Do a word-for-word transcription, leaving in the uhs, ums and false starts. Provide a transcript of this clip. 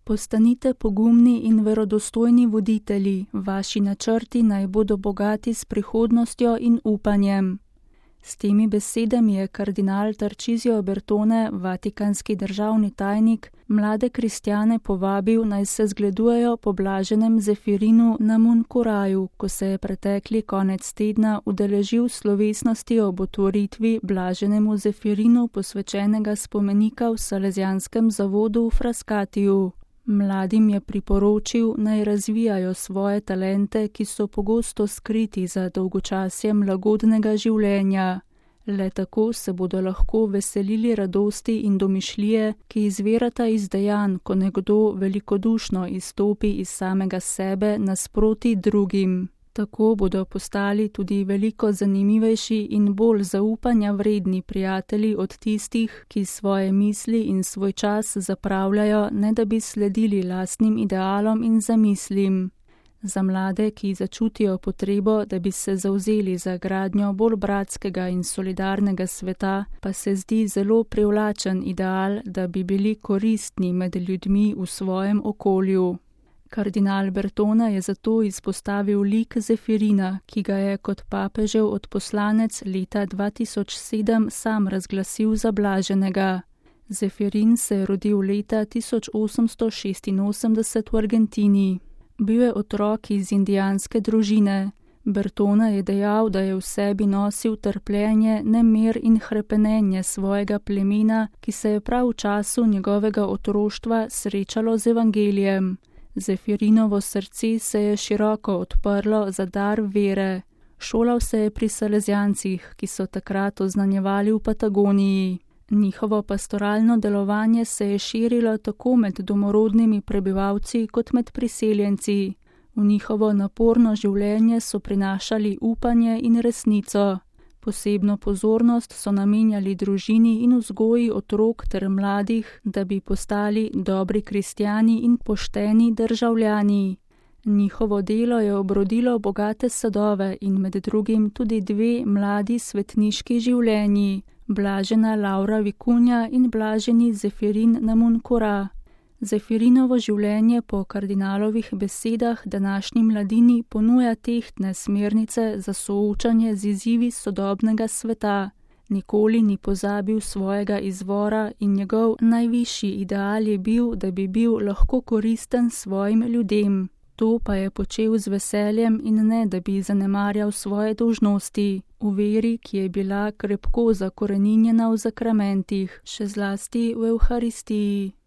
Postanite pogumni in verodostojni voditelji, vaši načrti naj bodo bogati s prihodnostjo in upanjem. S temi besedami je kardinal Tarcisio Bertone, vatikanski državni tajnik, mlade kristjane povabil, naj se zgledujejo po blaženem Zefirinu Namunkuraju, ko se je pretekli konec tedna udeležil slovesnosti ob otvoritvi blaženemu Zefirinu posvečenega spomenika v Salezijanskem zavodu v Frascatiju. Mladim je priporočil, naj razvijajo svoje talente, ki so pogosto skriti za dolgočasjem lagodnega življenja. Le tako se bodo lahko veselili radosti in domišljije, ki izvirata iz dejanj, ko nekdo velikodušno izstopi iz samega sebe nasproti drugim. Tako bodo postali tudi veliko zanimivejši in bolj zaupanja vredni prijatelji od tistih, ki svoje misli in svoj čas zapravljajo, ne da bi sledili lastnim idealom in zamislim. Za mlade, ki začutijo potrebo, da bi se zavzeli za gradnjo bolj bratskega in solidarnega sveta, pa se zdi zelo privlačen ideal, da bi bili koristni med ljudmi v svojem okolju. Kardinal Bertone je zato izpostavil lik Zefirina, ki ga je kot papežev odposlanec leta dva tisoč sedem sam razglasil za blaženega. Zefirin se je rodil leta tisoč osemsto šestinosemdeset v Argentini. Bil je otrok iz indijanske družine. Bertone je dejal, da je v sebi nosil trpljenje, nemir in hrepenenje svojega plemena, ki se je prav v času njegovega otroštva srečalo z evangelijem. Zefirinovo srce se je široko odprlo za dar vere. Šolal se je pri Salezijancih, ki so takrat oznanjevali v Patagoniji. Njihovo pastoralno delovanje se je širilo tako med domorodnimi prebivalci kot med priseljenci. V njihovo naporno življenje so prinašali upanje in resnico. Posebno pozornost so namenjali družini in vzgoji otrok ter mladih, da bi postali dobri kristjani in pošteni državljani. Njihovo delo je obrodilo bogate sadove in med drugim tudi dve mladi svetniški življenji, blažena Laura Vikunja in blaženi Zefirin Namunkura. Zefirinovo življenje po kardinalovih besedah današnji mladini ponuja tehtne smernice za soočanje z izzivi sodobnega sveta. Nikoli ni pozabil svojega izvora in njegov najvišji ideal je bil, da bi bil lahko koristen svojim ljudem. To pa je počel z veseljem in ne, da bi zanemarjal svoje dolžnosti, v veri, ki je bila krepko zakoreninjena v zakramentih, še zlasti v Evharistiji.